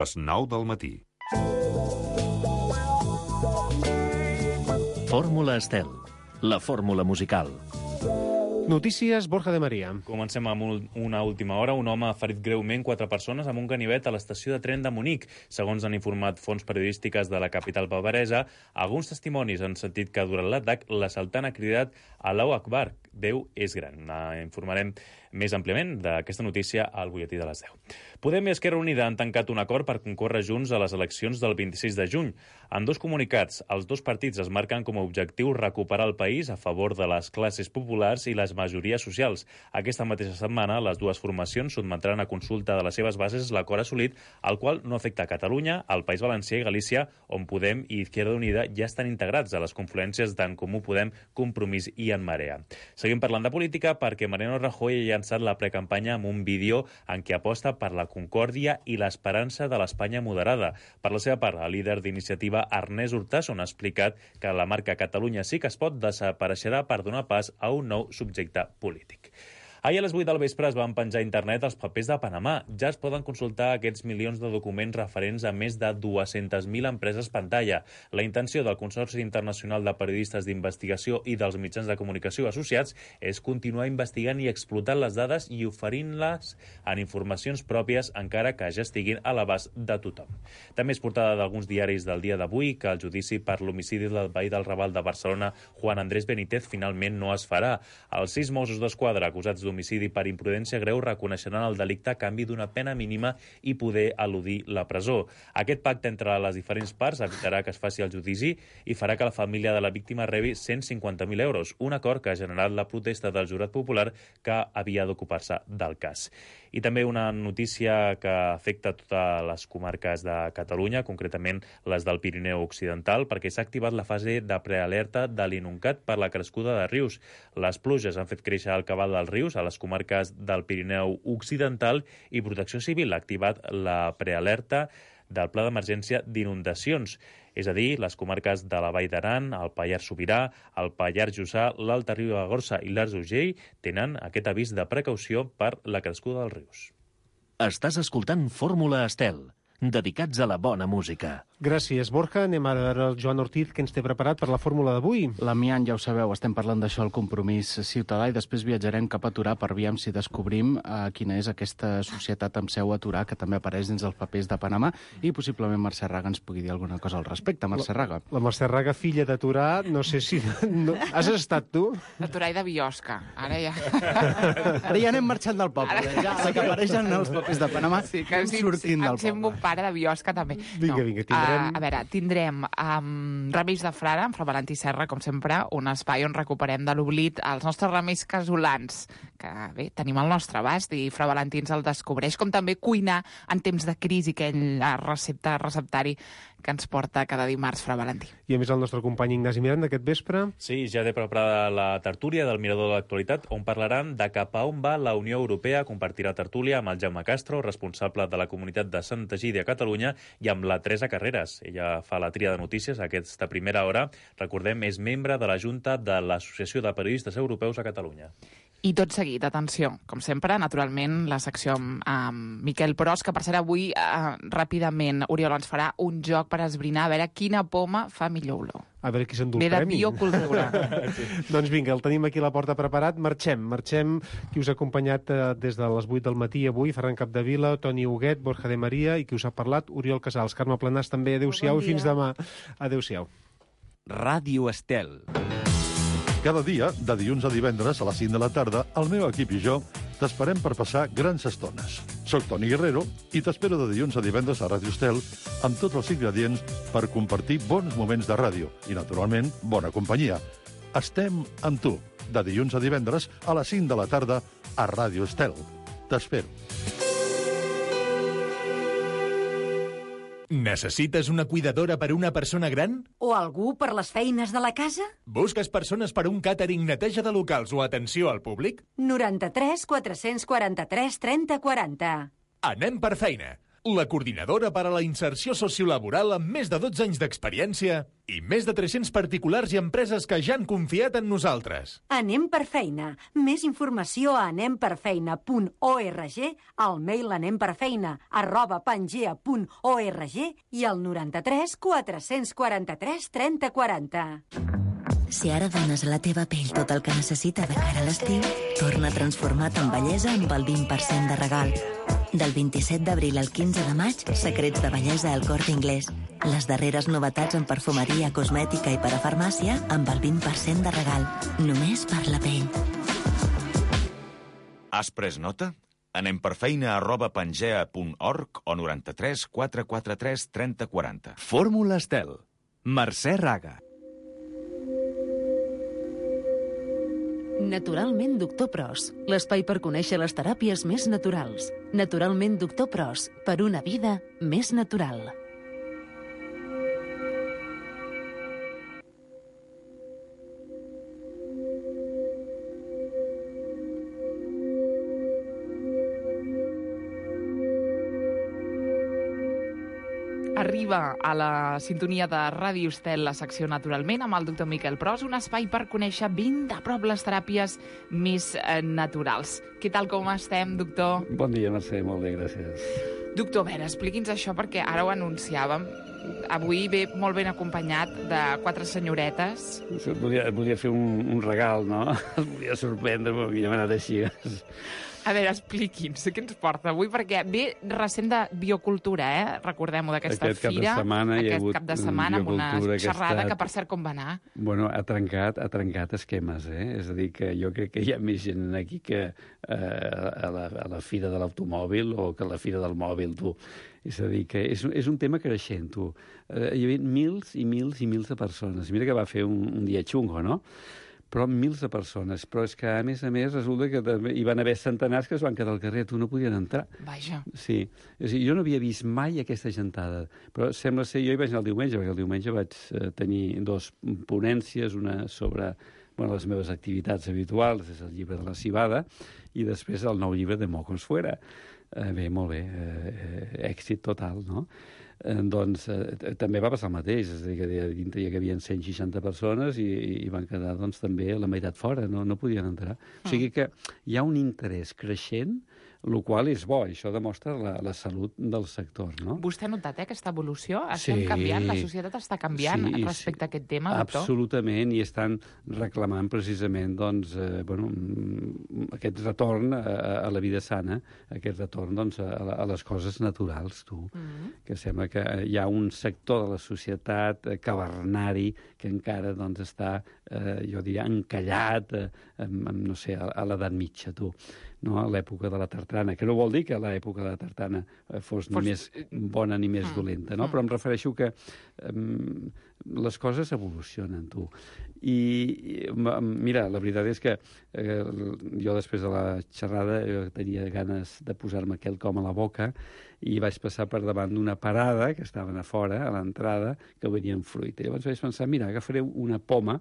Les 9 del matí. Fórmula Estel, la fórmula musical. Notícies, Borja de Maria. Comencem amb una última hora. Un home ha ferit greument 4 persones amb un ganivet a l'estació de tren de Munic. Segons han informat fonts periodístiques de la capital bavaresa, alguns testimonis han sentit que durant l'atac l'assaltant ha cridat Allahu Akbar, Déu és gran. Informarem més àmpliament d'aquesta notícia al butlletí de les 10. Podem i Esquerra Unida han tancat un acord per concórrer junts a les eleccions del 26 de juny. En dos comunicats, els dos partits es marquen com a objectiu recuperar el país a favor de les classes populars i les majories socials. Aquesta mateixa setmana, les dues formacions sotmetran a consulta de les seves bases l'acord assolit, el qual no afecta a Catalunya, el País Valencià i Galícia, on Podem i Izquierda Unida ja estan integrats a les confluències d'en Comú Podem, Compromís i En Marea. Seguim parlant de política perquè Mariano Rajoy ha llançat la precampanya amb un vídeo en què aposta per la concòrdia i l'esperança de l'Espanya moderada. Per la seva part, el líder d'iniciativa Ernest Urtasun ha explicat que la marca Catalunya sí que es pot desapareixerà per donar pas a un nou subjecte polític. Ahir a les 8 del vespre es van penjar a internet els papers de Panamà. Ja es poden consultar aquests milions de documents referents a més de 200.000 empreses pantalla. La intenció del Consorci Internacional de Periodistes d'Investigació i dels mitjans de comunicació associats és continuar investigant i explotant les dades i oferint-les en informacions pròpies, encara que ja estiguin a l'abast de tothom. També és portada d'alguns diaris del dia d'avui que el judici per l'homicidi del veí del Raval de Barcelona, Juan Andrés Benítez, finalment no es farà. Els 6 Mossos d'Esquadra acusats d'homicidi per imprudència greu reconeixeran el delicte a canvi d'una pena mínima i poder eludir la presó. Aquest pacte entre les diferents parts evitarà que es faci el judici i farà que la família de la víctima rebi 150.000 euros, un acord que ha generat la protesta del jurat popular que havia d'ocupar-se del cas. I també una notícia que afecta totes les comarques de Catalunya, concretament les del Pirineu Occidental, perquè s'ha activat la fase de prealerta de l'Inuncat per la crescuda de rius. Les pluges han fet créixer el cabal dels rius a les comarques del Pirineu Occidental i Protecció Civil ha activat la prealerta del Pla d'Emergència d'Inundacions, és a dir, les comarques de la Vall d'Aran, el Pallars Sobirà, el Pallars Jussà, l'Alta Ribagorça i l'Arç d'Urgell tenen aquest avís de precaució per la crescuda dels rius. Estàs escoltant Fórmula Estel, dedicats a la bona música. Gràcies, Borja. Anem ara a veure el Joan Ortiz, que ens té preparat per la fórmula d'avui. L'Amiant, ja ho sabeu, estem parlant d'això, el Compromís ciutadà, i després viatjarem cap a Torà per veure si descobrim quina és aquesta societat amb seu a Torà, que també apareix dins els papers de Panamà, i possiblement Mercè Raga ens pugui dir alguna cosa al respecte. Mercè Raga. La Mercè Raga, filla de Torà, no sé si... No. Has estat tu? De Torà i de Biosca, ara ja... Ara ja anem marxant del poble, ja la que apareixen els papers de Panamà, sí, que sortint del poble. Em sembla un pare de Biosca, també. Vinga, tindrem... A veure, tindrem Remeis de Frare, amb Fra Valentí Serra, com sempre, un espai on recuperem de l'oblit els nostres remeis casolans, que bé, tenim al nostre abast i Fra Valentí ens el descobreix, com també cuinar en temps de crisi, aquell receptari que ens porta cada dimarts Fra Valentí. I a més el nostre company Ignasi Miranda aquest vespre... Sí, ja té preparada la tertúlia del Mirador de l'Actualitat, on parlaran de cap a on va la Unió Europea. Compartirà tertúlia amb el Jaume Castro, responsable de la comunitat de Santa Egídia a Catalunya, i amb la Teresa Carreras. Ella fa la tria de notícies a aquesta primera hora. Recordem, és membre de la Junta de l'Associació de Periodistes Europeus a Catalunya. I tot seguit, atenció, com sempre, naturalment, la secció amb Miquel Pros, que per ser avui, ràpidament, Oriol ens farà un joc per esbrinar a veure quina poma fa millor olor. A veure qui s'endú el premi. Ve de biocultura. Sí. Doncs vinga, el tenim aquí a la porta preparat. Marxem. Qui us ha acompanyat des de les 8 del matí avui, Ferran Capdevila, Toni Huguet, Borja de Maria, i qui us ha parlat, Oriol Casals. Carme Planàs també, adéu-siau i fins demà. Adéu-siau. Ràdio Estel. Cada dia, de dilluns a divendres a les 5 de la tarda, el meu equip i jo t'esperem per passar grans estones. Soc Toni Guerrero i t'espero de dilluns a divendres a Ràdio Estel amb tots els ingredients per compartir bons moments de ràdio i, naturalment, bona companyia. Estem amb tu, de dilluns a divendres a les 5 de la tarda a Ràdio Estel. T'espero. Necessites una cuidadora per a una persona gran? O algú per les feines de la casa? Busques persones per a un càtering, neteja de locals o atenció al públic? 93 443 30 40. Anem per feina. la coordinadora per a la inserció sociolaboral amb més de 12 anys d'experiència i més de 300 particulars i empreses que ja han confiat en nosaltres. Anem per feina. Més informació a anemperfeina.org, al mail anemperfeina@pangea.org i al 93 443 30 40. Si ara dones a la teva pell tot el que necessita de cara a l'estiu, torna transformat en bellesa amb el 20% de regal. Del 27 d'abril al 15 de maig, secrets de bellesa al Corte Inglés. Les darreres novetats en perfumeria, cosmètica i parafarmàcia amb el 20% de regal. Només per la pell. Has pres nota? Anem per feina@pangea.org o 93 443 30 40. Fórmula Estel. Mercè Raga. Naturalment Doctor Pros, l'espai per conèixer les teràpies més naturals. Naturalment Doctor Pros, per una vida més natural. Arriba a la sintonia de Ràdio Estel la secció Naturalment amb el doctor Miquel Pros, un espai per conèixer ben de prop les teràpies més naturals. Què tal, com estem, doctor? Bon dia, Mercè, molt bé, gràcies. Doctor, a veure, expliqui'ns això perquè ara ho anunciàvem. Avui ve molt ben acompanyat de 4 senyoretes. Et volia fer un regal, no? Et volia sorprendre, però havia anat així. A veure, expliqui'ns què ens porta avui, perquè ve recent de biocultura, recordem-ho, d'aquesta fira. Aquest cap de setmana, amb una xerrada que, per cert, com va anar? Bueno, ha trencat esquemes, És a dir, que jo crec que hi ha més gent aquí que a la fira de l'automòbil o que a la fira del mòbil, tu. És a dir, que és un tema creixent, tu. Hi havia mils i mils i mils de persones. Mira que va fer un dia xungo, no? Però mils de persones. Però és que, a més, resulta que també hi van haver centenars que es van quedar al carrer, tu no podien entrar. Vaja. Sí. És a dir, jo no havia vist mai aquesta gentada. Però sembla ser, jo hi vaig anar el diumenge, perquè el diumenge vaig tenir 2 ponències, una sobre les meves activitats habituals, és el llibre de la Civada, i després el nou llibre de Mocos Fuera. Bé, molt bé, èxit total, no? Doncs també va passar el mateix, és a dir, que dintre hi havia 160 persones i van quedar també la meitat fora, no podien entrar. O sigui que hi ha un interès creixent, el qual és bo, això demostra la salut del sector, no? Vostè ha notat aquesta evolució? Estem canviant, la societat està canviant respecte a aquest tema, doctor? Absolutament, i estan reclamant precisament aquest retorn a la vida sana, aquest retorn a les coses naturals, tu. Que sembla que hi ha un sector de la societat cavernari que encara està, jo diria, encallat no sé, a l'edat mitja, tu. No, a l'època de la tartana, que no vol dir que l'època de la tartana fos ni més bona ni més dolenta, no? Però em refereixo que les coses evolucionen, tu. I mira, la veritat és que jo després de la xerrada tenia ganes de posar-me quelcom a la boca i vaig passar per davant d'una parada que estaven a fora, a l'entrada, que venien fruita. Llavors vaig pensar, mira, agafaré una poma,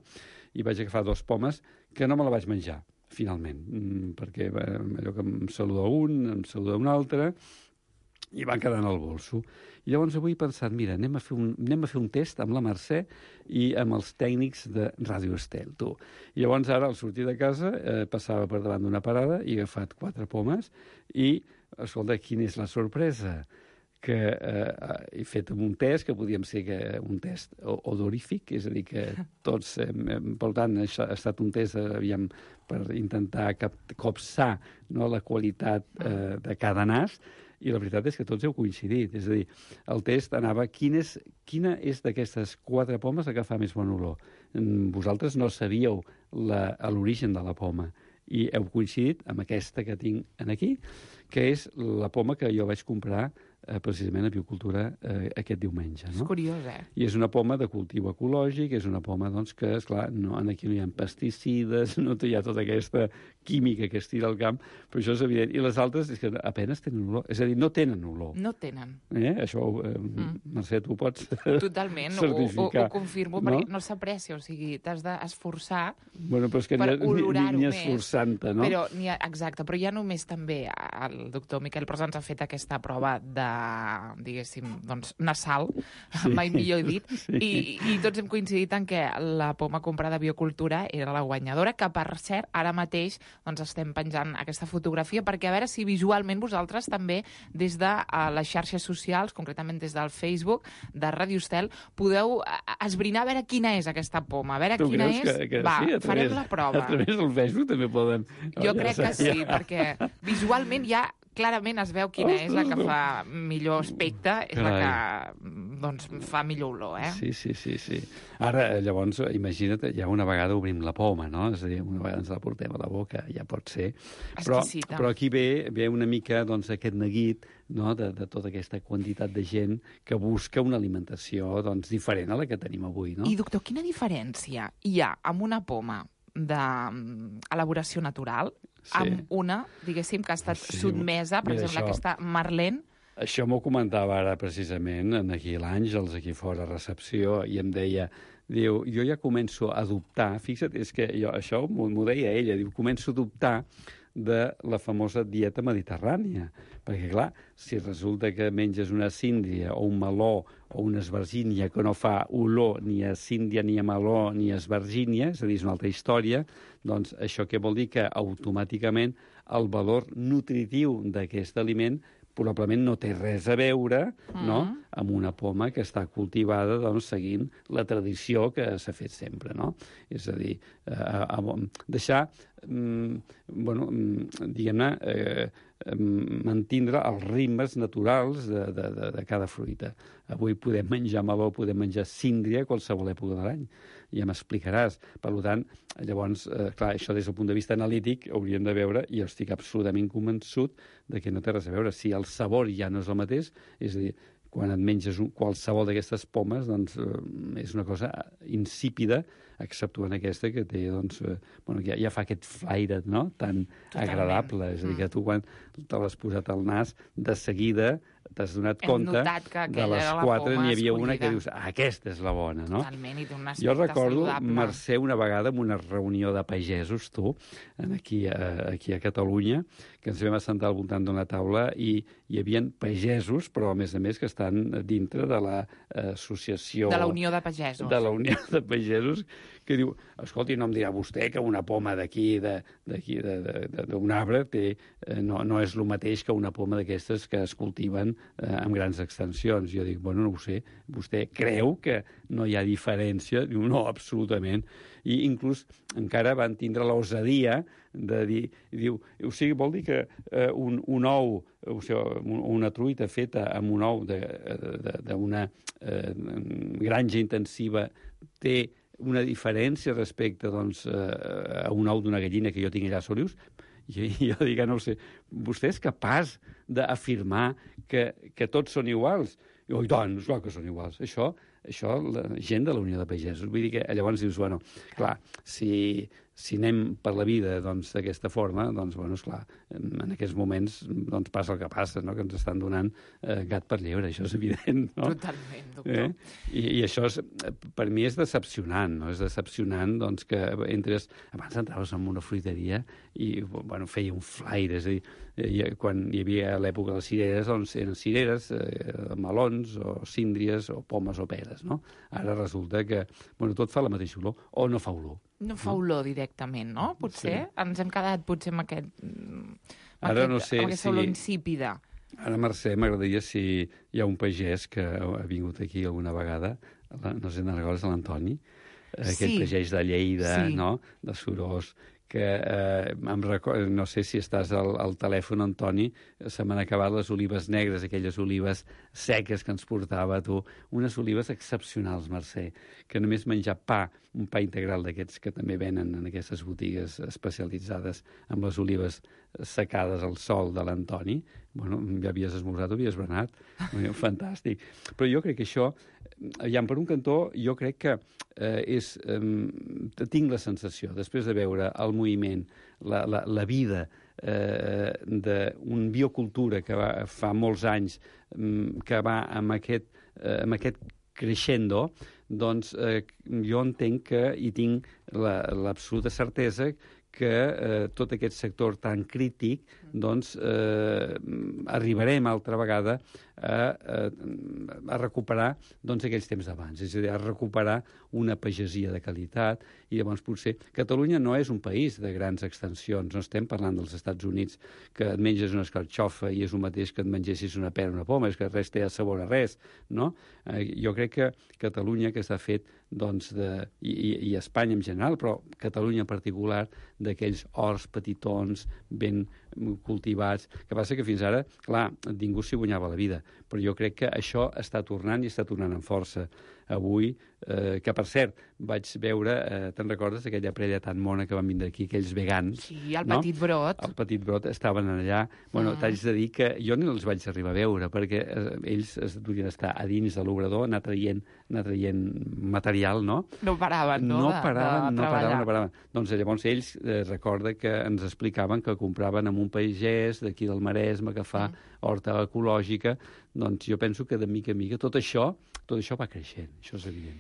i vaig agafar 2 pomes que no me la vaig menjar, finalment, perquè allò que em saluda un, em saluda un altre, i van quedar en el bolso. I llavors avui he pensat, mira, anem a fer un test amb la Mercè i amb els tècnics de Ràdio Estel, tu. I llavors ara, al sortir de casa, passava per davant d'una parada i he agafat 4 pomes i, escolta, quina és la sorpresa? Que he fet un test, que podíem ser un test odorífic, és a dir, que tots, per tant, ha estat un test per intentar copsar la qualitat de cada nas, i la veritat és que tots heu coincidit. És a dir, el test anava quina és d'aquestes 4 pomes la que fa més bon olor. Vosaltres no sabíeu l'origen de la poma i heu coincidit amb aquesta que tinc aquí, que és la poma que jo vaig comprar precisament a Biocultura aquest diumenge. És curiós, I és una poma de cultiu ecològic, és una poma que, esclar, aquí no hi ha pesticides, no hi ha tota aquesta química que es tira al camp, però això és evident. I les altres és que apenas tenen olor, és a dir, no tenen olor. No tenen. Això, Mercè, tu pots totalment, certificar. ho confirmo, perquè no s'aprecia, o sigui, t'has d'esforçar per olorar-ho més. Esforçant-te, no? Exacte, però ja només també el doctor Miquel Pros ens ha fet aquesta prova de diguéssim, doncs, nasal, mai millor dit, i tots hem coincidit en que la poma comprada Biocultura era la guanyadora, que per cert, ara mateix doncs, estem penjant aquesta fotografia perquè a veure si visualment vosaltres també des de les xarxes socials, concretament des del Facebook de Radio Estel, podeu esbrinar a veure quina és aquesta poma, a veure quina és... Va, farem la prova. A través del Facebook també poden... Jo crec que sí, perquè visualment ja clarament es veu quina és la que fa millor aspecte, és la que doncs, fa millor olor, Sí. Ara, llavors, imagina't, ja una vegada obrim la poma, no? És a dir, una vegada ens la portem a la boca, ja pot ser. Però aquí ve una mica doncs, aquest neguit, no? de tota aquesta quantitat de gent que busca una alimentació doncs, diferent a la que tenim avui, no? I, doctor, quina diferència hi ha amb una poma d'elaboració natural amb una, diguéssim, que ha estat sotmesa, per exemple, aquesta Marlene? Això m'ho comentava ara precisament aquí l'Àngels, aquí fora a recepció, i em deia, diu, jo ja començo a dubtar, fixa't, és que això m'ho deia ella, diu, començo a dubtar de la famosa dieta mediterrània. Perquè, clar, si resulta que menges una síndria o un meló o una esvergínia que no fa olor ni a síndria, ni a meló, ni a esvergínia, és a dir, és una altra història, doncs això què vol dir? Que automàticament el valor nutritiu d'aquest aliment probablement no té res a veure no? amb una poma que està cultivada doncs, seguint la tradició que s'ha fet sempre. No? És a dir, deixar, diguem-ne, mantindre els ritmes naturals de cada fruita. Avui podem menjar meló, podem menjar síndria a qualsevol època de l'any. Ja m'explicaràs. Per tant, llavors, clar, això des del punt de vista analític hauríem de veure, i jo estic absolutament convençut de que no té res a veure. Si el sabor ja no és el mateix, és a dir, quan et menges qualsevol d'aquestes pomes, doncs és una cosa insípida, exceptuant aquesta que té, doncs, ja fa aquest flaire, no?, tan agradable. És a dir, que tu quan te l'has posat al nas, de seguida t'has donat compte de les 4 n'hi havia una que dius, aquesta és la bona, no? Totalment, i té un aspecte jo recordo, saludable. Mercè, una vegada en una reunió de pagesos, aquí a Catalunya, que ens vam assentar al voltant d'una taula i hi havia pagesos, però a més que estan dintre de l'associació... De la Unió de Pagesos. De la Unió de Pagesos, que diu, escolti, no em dirà vostè que una poma d'aquí, d'un arbre, no és el mateix que una poma d'aquestes que es cultiven amb grans extensions. Jo dic, bueno, no ho sé, vostè creu que no hi ha diferència? Diu, no, absolutament. I inclús encara van tindre l'osadia de dir, diu, o sigui, vol dir que un ou, o sigui, una truita feta amb un ou d'una granja intensiva té una diferència respecte doncs, a un ou d'una gallina que jo tinc allà a Solius? I jo dic, no ho sé, vostè és capaç d'afirmar que tots són iguals? I tant, és clar que són iguals. Això la gent de la Unió de Pagesos. Vull dir que llavors dius, bueno, clar, si anem per la vida d'aquesta forma, doncs, bueno, esclar, en aquests moments doncs, passa el que passa, no? Que ens estan donant gat per llebre, això és evident, no? Totalment, doctor. I això per mi és decepcionant, no? És decepcionant doncs, que entres... Abans entraves en una fruiteria i bueno, feia un flaire, és a dir, quan hi havia l'època de les cireres, doncs eren cireres, melons o síndries o pomes o peres, no? Ara resulta que bueno, tot fa la mateixa olor o no fa olor. No fa olor directament, no? Potser ens hem quedat potser amb aquesta olor insípida. Ara, Mercè, m'agradaria si hi ha un pagès que ha vingut aquí alguna vegada, no sé, és l'Antoni, aquest pagès de Lleida, no? De Sorós, que no sé si estàs al telèfon, Antoni, se m'han acabat les olives negres, aquelles olives seques que ens portava a tu, unes olives excepcionals, Mercè, que només menjar un pa integral d'aquests que també venen en aquestes botigues especialitzades amb les olives secades al sol de l'Antoni, bueno, ja havies esmorzat o havies berenat, fantàstic. Però jo crec que això, per un cantó, jo crec que tinc la sensació, després de veure el moviment, la vida d'un biocultura que fa molts anys que va amb aquest crescendo, doncs jo entenc i tinc l'absoluta certesa que tot aquest sector tan crític, doncs arribarem altra vegada a recuperar doncs, aquells temps d'abans, és a dir, a recuperar una pagesia de qualitat, i llavors potser Catalunya no és un país de grans extensions, no estem parlant dels Estats Units, que et menges una escarxofa i és el mateix que et mengessis una pera o una poma, és que res té a sabor a res, no? Jo crec que Catalunya, que s'ha fet, doncs, i Espanya en general, però Catalunya en particular, d'aquells horts petitons, ben cultivats, que passa que fins ara, clar, ningú s'hi guanyava la vida, però jo crec que això està tornant i està tornant amb força. Avui, que per cert, vaig veure, te'n recordes, aquella parella tan mona que van vindre aquí, aquells vegans? Sí, el Petit Brot. El Petit Brot estaven allà. Bueno, t'haig de dir que jo no els vaig arribar a veure, perquè ells es devien estar a dins de l'obrador, anar traient material, no? No paraven, no? No paraven. Doncs llavors ells recorda que ens explicaven que compraven amb un pagès d'aquí del Maresme que fa horta ecològica. Doncs jo penso que de mica en mica tot això va creixent, això és evident.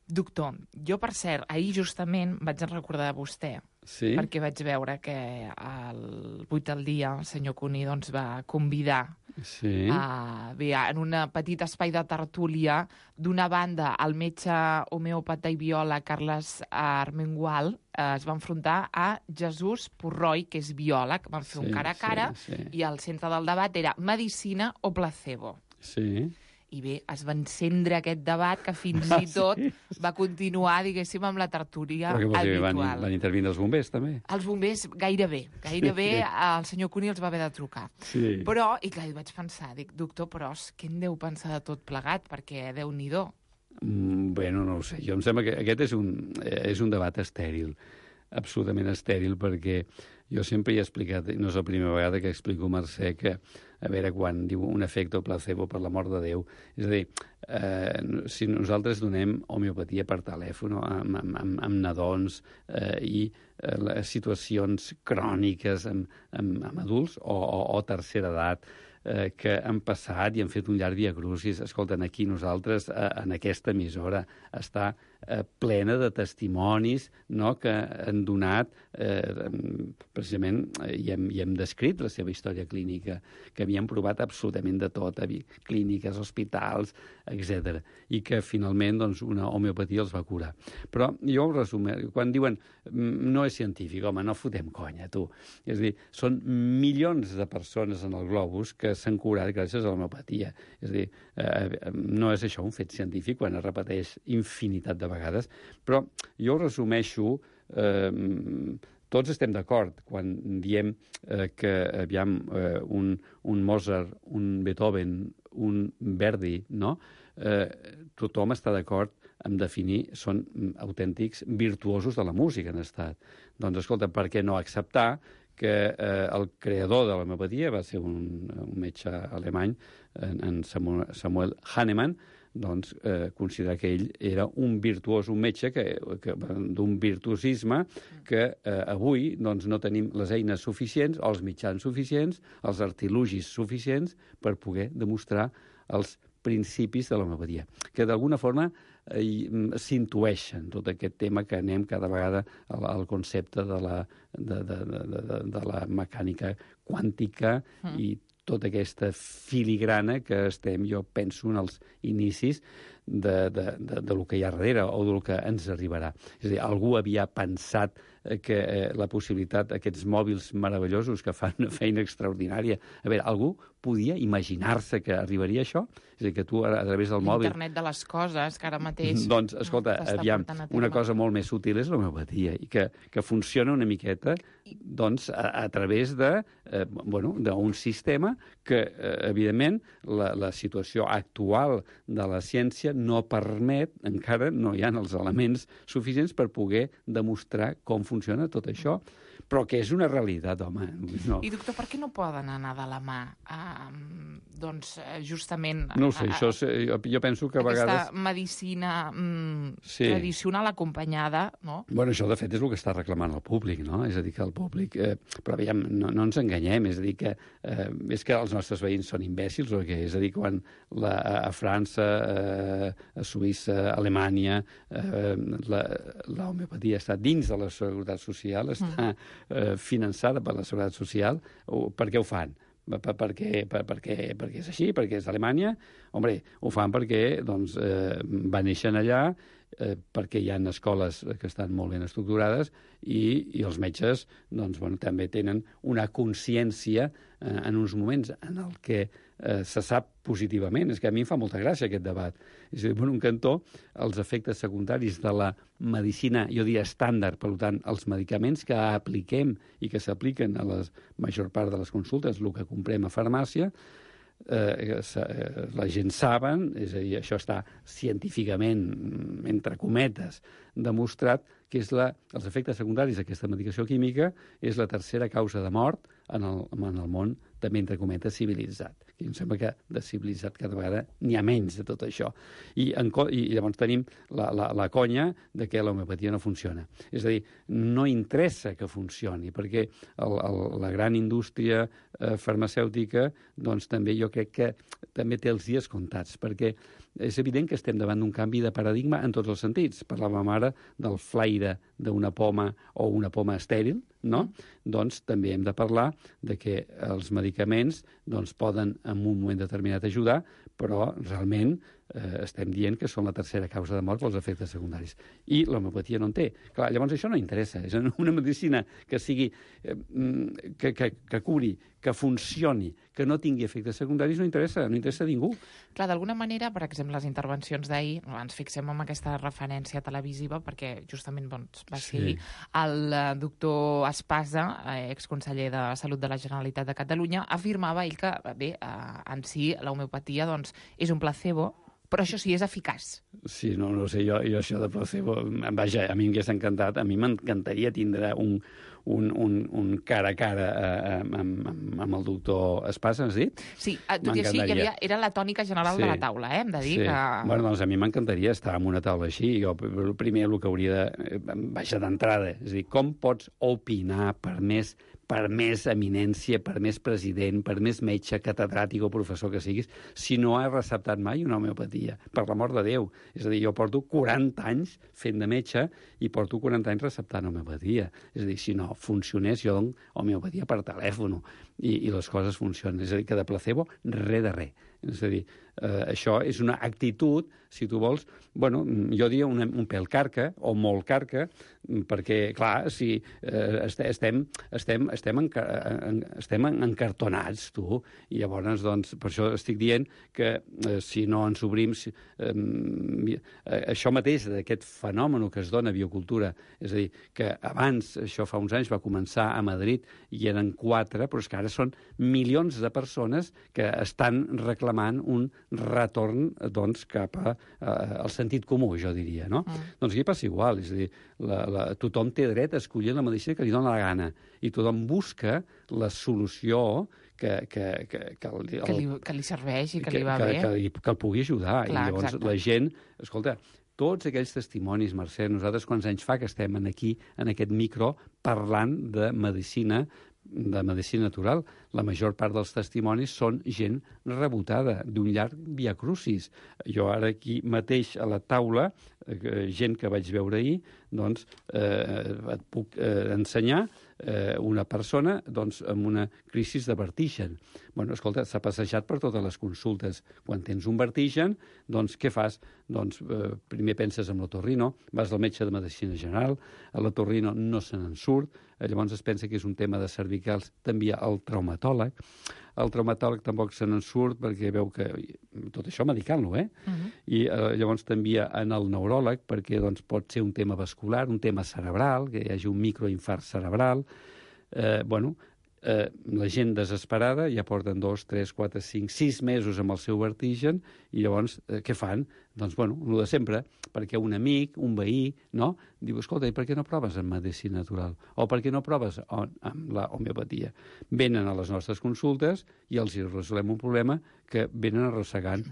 Doctor, jo, per cert, ahir justament vaig recordar de vostè, perquè vaig veure que el 8 del dia el senyor Cuní doncs, va convidar en un petit espai de tertúlia, d'una banda, el metge homeòpata i biòleg Carles Armengual es va enfrontar a Jesús Purroy, que és biòleg, van fer un cara a cara, i el centre del debat era medicina o placebo. Sí. I bé, es va encendre aquest debat que fins i tot va continuar, diguéssim, amb la tertúlia habitual. Van intervindre els bombers, també? Els bombers, gairebé el senyor Cuní els va haver de trucar. Sí. Però, i clar, vaig pensar, dic, doctor Pros, què en deu pensar de tot plegat? Perquè Déu-n'hi-do. Bueno, no ho sé, jo em sembla que aquest és un debat estèril, absolutament estèril, perquè jo sempre he explicat, i no és la primera vegada que explico a Mercè, que a veure, quan diu un efecte placebo, per l'amor de Déu, és a dir, si nosaltres donem homeopatia per telèfon amb nadons i situacions cròniques amb adults o tercera edat, que han passat i han fet un llarg diacrucis. Escolten, aquí nosaltres, en aquesta emissora, està plena de testimonis, no?, que han donat, precisament, i hem descrit la seva història clínica, que havien provat absolutament de tot, clíniques, hospitals, etc. I que finalment doncs, una homeopatia els va curar. Però jo ho resumeixo, quan diuen no és científic, home, no fotem conya, tu. És a dir, són milions de persones en el globus que s'han curat gràcies a l'homeopatia. És a dir, no és això un fet científic quan es repeteix infinitat de vegades, però jo ho resumeixo, tots estem d'acord quan diem que, aviam, un Mozart, un Beethoven, un Verdi, no? Tothom està d'acord en definir, són autèntics virtuosos de la música en estat. Doncs, escolta, per què no acceptar que el creador de l'homeopatia va ser un metge alemany, en Samuel Hahnemann, doncs considerar que ell era un virtuós, un metge d'un virtuosisme que avui doncs, no tenim les eines suficients, els mitjans suficients, els artilugis suficients per poder demostrar els principis de l'homeopatia, que d'alguna forma s'intueixen tot aquest tema que anem cada vegada al concepte de la mecànica quàntica i tota aquesta filigrana que estem, jo penso, en els inicis del que hi ha darrere o del que ens arribarà. És a dir, algú havia pensat que la possibilitat, aquests mòbils meravellosos que fan una feina extraordinària, a veure, algú podia imaginar-se que arribaria a això? És a dir, que tu a través del mòbil... Internet de les coses, que ara mateix... Doncs, escolta, aviam, una cosa molt més útil és l'homeopatia i que funciona una miqueta doncs, a través d'un sistema que, evidentment, la situació actual de la ciència no permet, encara no hi ha els elements suficients per poder demostrar com funciona tot això, però que és una realitat, home. No. I, doctor, per què no poden anar de la mà, doncs, justament... No ho sé, jo penso que a vegades... Aquesta medicina tradicional acompanyada, no? Bueno, això, de fet, és el que està reclamant el públic, no? És a dir, que el públic... però, aviam, no ens enganyem, és a dir, que és que els nostres veïns són imbècils o què? És a dir, quan a França, a Suïssa, a Alemanya, l'homeopatia està dins de la Seguretat Social, està finançada per la Seguretat Social, per què ho fan? perquè és així, perquè és Alemanya. Hombre, ho fan perquè doncs, va néixer allà, perquè hi ha escoles que estan molt ben estructurades i els metges doncs, bueno, també tenen una consciència en uns moments en el que se sap positivament. És que a mi em fa molta gràcia aquest debat. És a dir, per un cantó, els efectes secundaris de la medicina, jo diria estàndard, per tant, els medicaments que apliquem i que s'apliquen a la major part de les consultes, el que comprem a farmàcia, la gent saben, és a dir, això està científicament, entre cometes, demostrat que els efectes secundaris d'aquesta medicació química és la tercera causa de mort en el món, també entre cometes, civilitzat. I em sembla que de civilitzat cada vegada n'hi ha menys de tot això. I llavors tenim la conya de que l'homeopatia no funciona. És a dir, no interessa que funcioni, perquè la gran indústria farmacèutica doncs també jo crec que també té els dies comptats, perquè és evident que estem davant d'un canvi de paradigma en tots els sentits. Parlàvem ara del flaire d'una poma o una poma estèril, no? Doncs també hem de parlar de que els medicaments doncs, poden en un moment determinat ajudar, però realment estem dient que són la tercera causa de mort pels efectes secundaris. I l'homeopatia no en té. Clar, llavors això no interessa. És una medicina que sigui que curi, que funcioni, que no tingui efectes secundaris, no interessa a ningú. Clar, d'alguna manera, per exemple, les intervencions d'ahir, ens fixem en aquesta referència televisiva, perquè justament va ser el doctor Espasa, exconseller de Salut de la Generalitat de Catalunya, afirmava ell que, bé, en si l'homeopatia doncs, és un placebo, però això sí, és eficaç. Sí, no sé, jo això de placebo, vaja, a mi m'hagués encantat, a mi m'encantaria tindre un cara a cara amb el doctor Espasa, has dit? Sí, tot i així, era la tònica general de la taula, hem de dir que... Bueno, doncs a mi m'encantaria estar en una taula així. Jo primer el que hauria de... Baixa d'entrada, és a dir, com pots opinar per més eminència, per més president, per més metge, catedràtic o professor que siguis, si no has receptat mai una homeopatia, per l'amor de Déu. És a dir, jo porto 40 anys fent de metge i porto 40 anys receptant homeopatia. És a dir, si no funcionés, jo dono homeopatia per telèfon i les coses funcionen. És a dir, que de placebo, res de res. És a dir, això és una actitud, si tu vols, bueno, jo diria un pèl carca, o molt carca, perquè, clar, si estem encartonats, tu, i llavors, doncs, per això estic dient que si no ens obrim... això mateix, d'aquest fenomen que es dona a biocultura, és a dir, que abans, això fa uns anys, va començar a Madrid, i eren 4, però és que ara són milions de persones que estan reclamant un retorn, doncs, cap al sentit comú, jo diria, no? Doncs aquí passa igual, és a dir, tothom té dret a escollir la medicina que li dona la gana, i tothom busca la solució que li serveix i que li va bé. Que el pugui ajudar. Clar, i llavors la gent, escolta, tots aquells testimonis, Mercè, nosaltres quants anys fa que estem aquí, en aquest micro, parlant de medicina natural. La major part dels testimonis són gent rebotada, d'un llarg viacrucis. Jo ara aquí mateix a la taula, gent que vaig veure ahir, doncs et puc ensenyar una persona doncs, amb una crisi de vertigen. Bueno, escolta, s'ha passejat per totes les consultes. Quan tens un vertigen, doncs què fas? Doncs primer penses en l'otorrino, vas al metge de medicina general, a l'otorrino no se n'en surt, llavors es pensa que és un tema de cervicals, t'envia al traumatòleg. El traumatòleg tampoc se n'en surt perquè veu que... Tot això medicant-lo, I llavors t'envia en el neuròleg perquè doncs, pot ser un tema vascular, un tema cerebral, que hi hagi un microinfart cerebral. La gent desesperada ja porten 2, 3, 4, 5, 6 mesos amb el seu vertigen i llavors què fan? Doncs, bueno, el de sempre, perquè un amic, un veí, no? Diu, escolta, i per què no proves en medicina natural? O per què no proves amb la homeopatia? Venen a les nostres consultes i els resolem un problema que venen arrossegant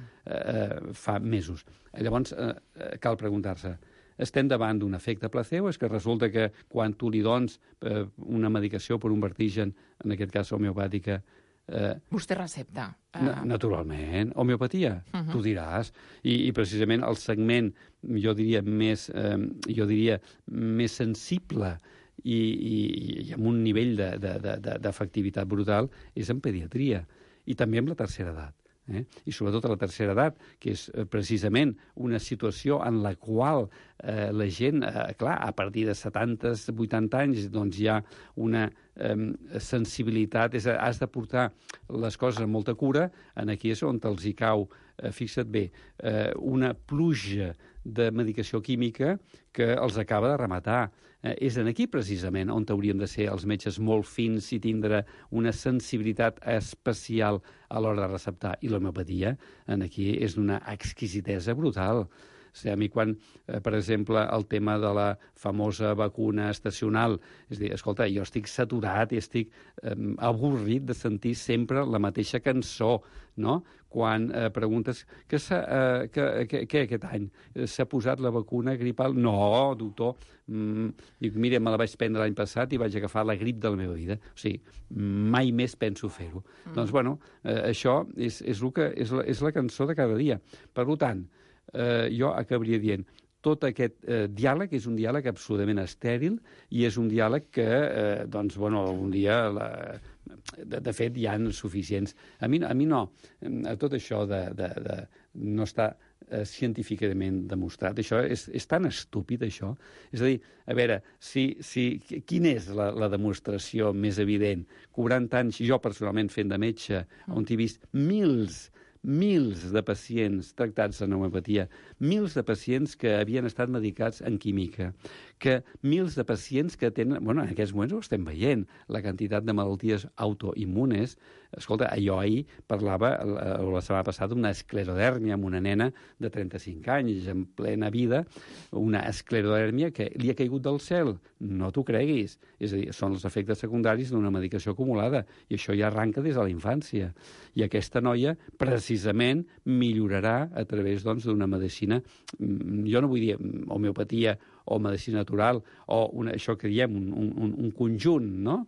fa mesos. Llavors, cal preguntar-se, estem davant d'un efecte placebo? És que resulta que quan tu li dones una medicació per un vertigen, en aquest cas homeopàtica... Vostè recepta. Naturalment. Homeopatia, tu diràs. I precisament el segment, jo diria, més sensible i amb un nivell d'efectivitat brutal és en pediatria, i també amb la tercera edat. I sobretot a la tercera edat, que és precisament una situació en la qual la gent, clar, a partir de 70-80 anys, doncs hi ha una sensibilitat, has de portar les coses amb molta cura, aquí és on els hi cau, fixa't bé, una pluja de medicació química que els acaba de rematar. És aquí, precisament, on hauríem de ser els metges molt fins i tindre una sensibilitat especial a l'hora de receptar. I l'homeopatia, aquí, és d'una exquisitesa brutal. O sigui, a mi quan, per exemple, el tema de la famosa vacuna estacional, és a dir, escolta, jo estic saturat i estic avorrit de sentir sempre la mateixa cançó, no? Quan preguntes què aquest any? S'ha posat la vacuna gripal? No, doctor. Dic, mira, me la vaig prendre l'any passat i vaig agafar la grip de la meva vida. O sigui, mai més penso fer-ho. Doncs, bueno, això és la cançó de cada dia. Per tant, jo acabaria dient tot aquest diàleg és un diàleg absolutament estèril i és un diàleg que, doncs, bueno, algun dia, de fet, hi ha suficients. A mi no. Tot això no està científicament demostrat. Això és tan estúpid, això. És a dir, a veure, quina és la demostració més evident? 40 anys, jo personalment fent de metge, on he vist mils de pacients tractats en homeopatia, mils de pacients que havien estat medicats en química, que mils de pacients que tenen... Bueno, en aquests moments ho estem veient, la quantitat de malalties autoimmunes. Escolta, jo ahir parlava, la setmana passada, d'una esclerodèrmia amb una nena de 35 anys, en plena vida, una esclerodèrmia que li ha caigut del cel. No t'ho creguis. És a dir, són els efectes secundaris d'una medicació acumulada, i això ja arranca des de la infància. I aquesta noia, precisament, millorarà a través d'una medicina, jo no vull dir homeopatia o medicina natural, o això que diem, un conjunt, no?,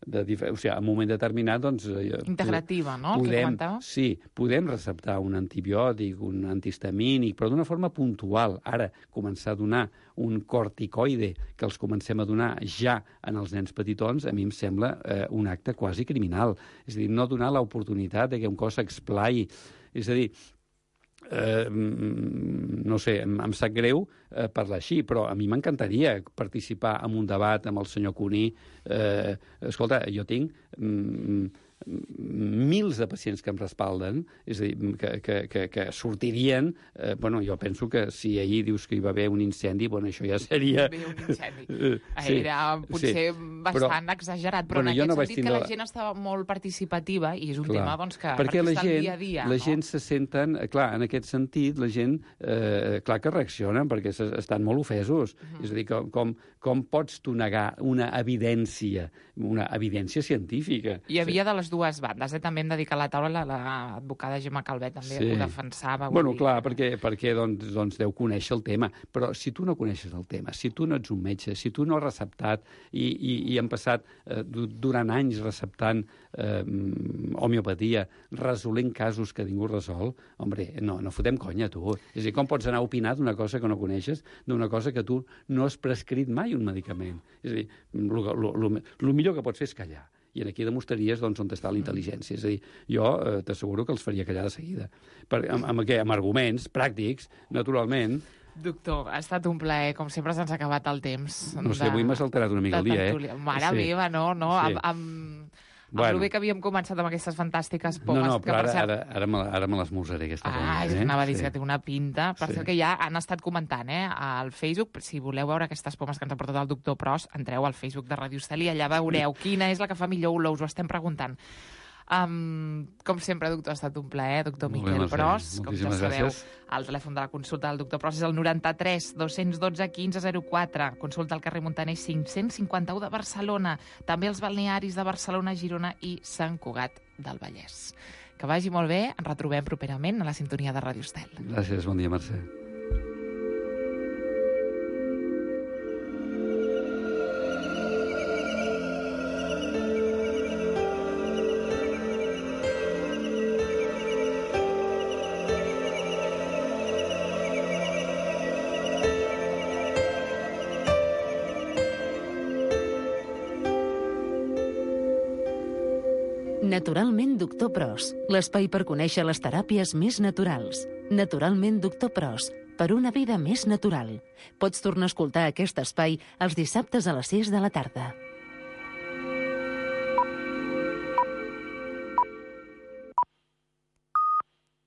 o sigui, en un moment determinat, doncs... Integrativa, no?, el que comentaves. Sí, podem receptar un antibiòtic, un antihistamínic, però d'una forma puntual. Ara, començar a donar un corticoide que els comencem a donar ja en els nens petitons, a mi em sembla un acte quasi criminal. És a dir, no donar l'oportunitat que un cos s'explai. És a dir, no sé, em sap greu parlar així, però a mi m'encantaria participar en un debat amb el senyor Cuní. Escolta, jo tinc mils de pacients que em respalden, és a dir, que sortirien... Bueno, jo penso que si ahir dius que hi va haver un incendi, bueno, això ja seria... Un incendi. Era potser bastant exagerat, però en aquest sentit que la gent estava molt participativa i és un tema doncs, que perquè està al dia a dia. La gent se senten... Clar, en aquest sentit, la gent, clar que reaccionen perquè estan molt ofesos. És a dir, com pots tu negar una evidència científica? Hi havia de les dues bandes, també hem de dir que a la taula l'advocada Gemma Calvet també ho defensava. Bueno, clar, perquè doncs deu conèixer el tema, però si tu no coneixes el tema, si tu no ets un metge, si tu no has receptat i hem passat durant anys receptant homeopatia, resolent casos que ningú resol, hombre, no fotem conya, tu. És a dir, com pots anar a opinar d'una cosa que no coneixes, d'una cosa que tu no has prescrit mai un medicament? És a dir, el millor que pots fer és callar. I aquí demostraries on està la intel·ligència. És a dir, jo t'asseguro que els faria callar de seguida. Amb arguments pràctics, naturalment. Doctor, ha estat un plaer. Com sempre se'ns ha acabat el temps. No sé, avui m'has alterat una mica el dia, Mare meva, no. Amb el bé que havíem començat amb aquestes fantàstiques pomes... No, però ara me l'esmorzaré, aquesta poma. Anava a dir que té una pinta. Per cert que ja han estat comentant al Facebook. Si voleu veure aquestes pomes que ens ha portat el doctor Pros, entreu al Facebook de Radio Estel i allà veureu quina és la que fa millor olor. Us ho estem preguntant. Com sempre, doctor, ha estat un plaer. Doctor Miquel Pros, com ja sabeu, el telèfon de la consulta del doctor Pros és el 93 212 1504. Consulta al carrer Montaner 551 de Barcelona. També els balnearis de Barcelona, Girona i Sant Cugat del Vallès. Que vagi molt bé. Ens retrobem properament a la sintonia de Radio Estel. Gràcies, bon dia, Mercè. Naturalment Doctor Pros, l'espai per conèixer les teràpies més naturals. Naturalment Doctor Pros, per una vida més natural. Pots tornar a escoltar aquest espai els dissabtes a les 6 de la tarda.